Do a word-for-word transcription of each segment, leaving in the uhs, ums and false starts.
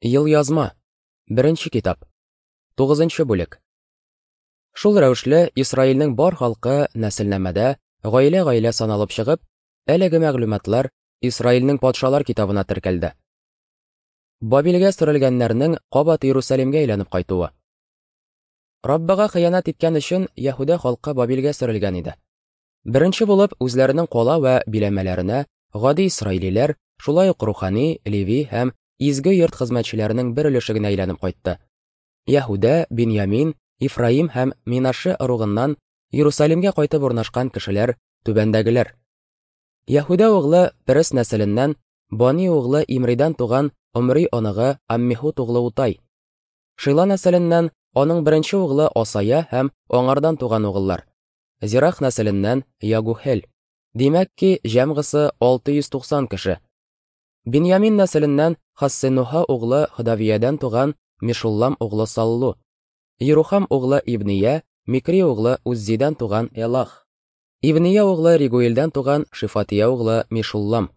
Елъязма. Беренче китап. Тугызынчы бүлек. Шул рәвешле Исраилнең бар халкы нәселнамәдә гаилә-гаилә саналып чыгып, әлеге мәгълүматлар Исраилнең патшалар китабына теркәлде. Бабилгә сөрелгәннәрнең кабат Иерусалимгә әйләнеп кайтуы. Раббыга хыянәт иткән өчен Яһүдә халкы Бабилгә сөрелгән иде. Беренче булып үзләренең кала вә биләмәләренә гади исраилиләр, шулай ук рухани, леви һәм изге йорт хезмәтчеләренең бер өлеше генә әйләнеп кайтты. Яһүдә, Биньямин, Ифраим һәм Минаше ыругыннан Иерусалимгә кайтып урнашкан кешеләр түбәндәгеләр. Яһүдә углы Перес нәселеннән Бани углы Имридан туган Омри оныгы Аммихут углы Утай. Шила нәселеннән аның беренче углы Асая һәм аңардан туган угыллар. Зирах нәселеннән Ягухел. Димәк ки, җәмгысы алты йөз туксан кеше. Биньямин нәселеннән Хассенуха углы Ходавиядән туган Мишуллам углы Саллу. Ерухам углы Ибния, Микри углы Уззидән туган Элах. Ибния углы Ригуилдән туган Шифатия углы Мишуллам.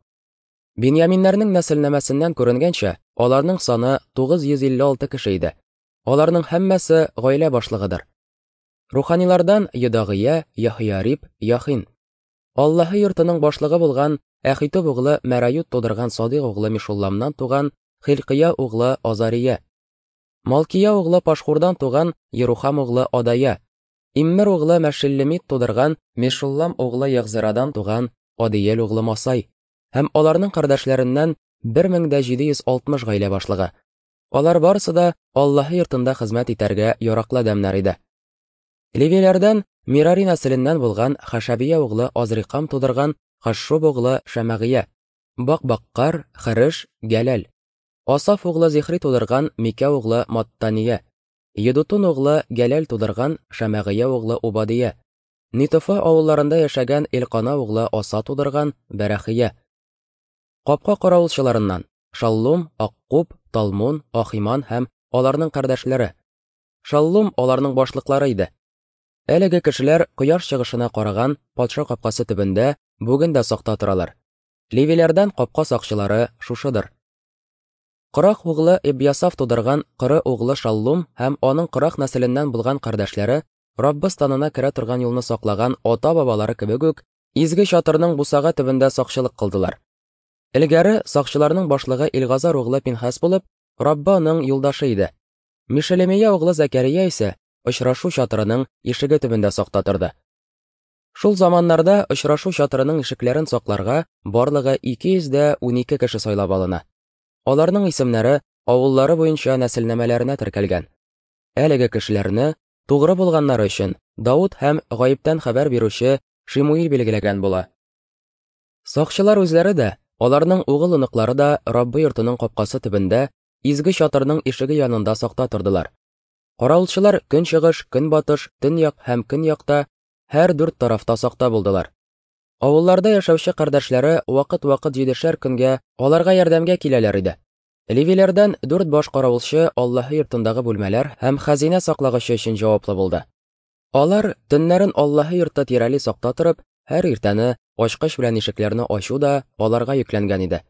Биньяминнәрнең нәселнамәсеннән күренгәнчә, аларның саны тугыз йөз илле алты кеше иде. Аларның һәммәсе гаилә башлыгыдыр. Руханилардан Йодагыя, Яһияриб, Яхин. Аллаһы йортының башлыгы булган Әхитуб углы Мәрают тудырган Садыйк углы Мишулламнан туган Хилкия углы Азария. Малкия углы Пашхурдан туган Ерухам углы Адая. Иммер углы Мәшеллемит тудырган Мешуллам углы Ягзирадан туган Адиел углы Масай. Һәм аларның кардәшләреннән бер мең дә җиде йөз алтмыш гаилә башлыгы. Алар барысы да Аллаһы йортында хезмәт итәргә яраклы адәмнәр иде. Левиләрдән Мирари нәселеннән булган Хашабия углы Азрикам тудырган Хашшуб углы Шәмәгыя, Бакбаккар, Хырыш, Гәләл. Асаф углы Зихри тудырган Микә углы Маттания, Едутун углы Гәләл тудырган Шәмәгыя углы Убадия, Нитофа авылларында яшәгән Элкана углы Аса тудырган Бәрәхия. Капка каравылчыларыннан Шаллум, Аккуб, Талмун, Ахиман һәм аларның кардәшләре. Шаллум аларның башлыклары иде. Әлеге кешеләр кояш чыгышына караган патша капкасы төбендә бүген дә сакта торалар. Левиләрдән капка сакчылары шушыдыр. Корах углы Эбьясаф тудырган Кыры углы Шаллум һәм аның Корах нәселеннән булган кардәшләре Раббы станына керә торган юлны саклаган ата-бабалары кебек үк изге чатырның бусага төбендә сакчылык кылдылар. Элгәре сакчыларның башлыгы Илгазар углы Пинхас булып, Раббы аның юлдашы иде. Мишелемия углы Зәкәрия исә очрашу чатырының ишеге төбендә сакта торды. Шул заманнарда очрашу чатырының ишекләрен сакларга барлыгы ике йөз дә унике кеше сайлап алына. Аларның исемнәре авыллары буенча нәселнамәләренә теркәлгән. Әлеге кешеләрне тугры булганнары өчен Дауд һәм гаептән хәбәр бирүче Шимуил билгеләгән була. Сакчылар үзләре дә, аларның угыл-оныклары да Раббы йортының капкасы төбендә изге чатырның ишеге янында сакта тордылар. Каравылчылар көнчыгыш, көнбатыш, төньяк һәм көньякта һәр дүрт тарафта сакта булдылар. Авылларда яшәүче кардәшләре вакыт-вакыт җидешәр көнгә аларга ярдәмгә киләләр иде. Левиләрдән дүрт баш каравылчы Аллаһы йортындагы бүлмәләр һәм хәзинә саклагычы өчен җаваплы булды. Алар төннәрен Аллаһы йорты тирәли сакта торып, һәр иртәне ачкыч белән ишекләрне ачу да аларга йөкләнгән иде.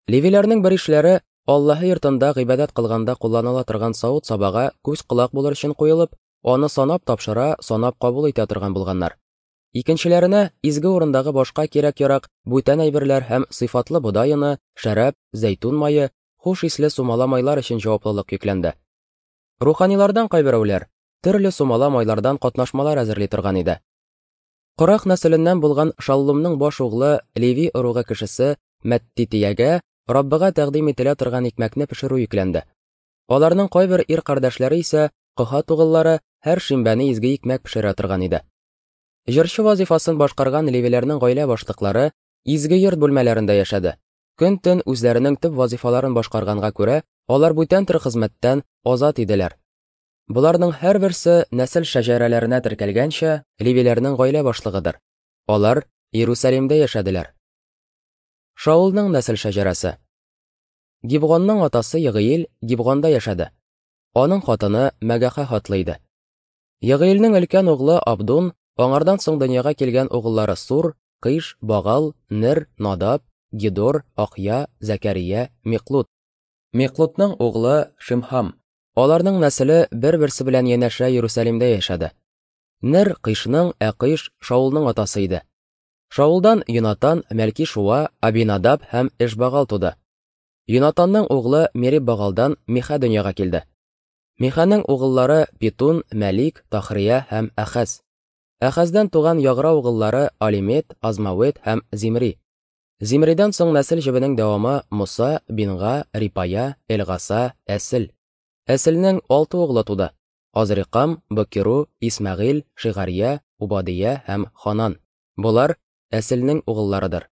Левиләрнең бер ишләре Аллаһы йортында гыйбадәт кылганда кулланыла торган савыт-сабага күз-колак булыр өчен куелып, аны санап тапшыра, санап кабул итә торган булганнар. Икенчеләренә изге урындагы башка кирәк-ярак, бүтән әйберләр һәм сыйфатлы бодай оны, шәраб, зәйтүн мае, хуш исле сумала майлар өчен җаваплылык йөкләнде. Руханилардан кайберәүләр төрле сумала майлардан катнашмалар әзерли торган иде. Корах нәселеннән булган Шаллумның баш углы Леви ыругы кешесе Мәттитиягә Раббыга тәкъдим ителә торган икмәкне пешерү йөкләнде. Аларның кайбер ир кардәшләре исә Коһат угыллары һәр шимбәне изге икмәк пешерә торган иде. Җырчы вазифасын башкарган левиләрнең гаилә башлыклары изге йорт бүлмәләрендә яшәде. Көн-төн үзләренең төп вазифаларын башкарганга күрә, алар бүтән төр хезмәттән азат иделәр. Боларның һәрберсе нәсел шәҗәрәләренә теркәлгәнчә левиләрнең гаилә башлыгыдыр. Алар Иерусалимдә яшәделәр. Шаулның нәсел шәҗәрәсе. Гибгонның атасы Егыил Гибгонда яшәде. Аның хатыны Мәгәхә хатлы иде. Егыилнең өлкән углы Абдун, аңардан соң дөньяга килгән угыллары Сур, Кыш, Багал, Нер, Надаб, Гидор, Ахья, Зәкәрия, Миклут. Миклотның углы Шимхам. Аларның нәселе бер-берсе белән янәшә Иерусалимдә яшәде. Нер Кыйшның, ә Кыйш Шаулның атасы иде. Шаулдан Йонатан, Мәлки-Шуа, Абинадаб һәм Эшбагал туды. Йонатанның углы Мериб-Багалдан Миха дөньяга килде. Миханың угыллары Питун, Мәлик, Тахрия һәм Әхәз. Әхәздән туган Ягра угыллары Алимет, Азмавет һәм Зимри. Зимридән соң нәсел җебенең дәвамы Муса, Бинга, Рипая, Элгаса, Әсел. Әселнең алты углы туды: Азрикам, Бакиру, Исмәгыйль, Шигария, Убадия һәм Ханан. Болар Әселнең угылларыдыр.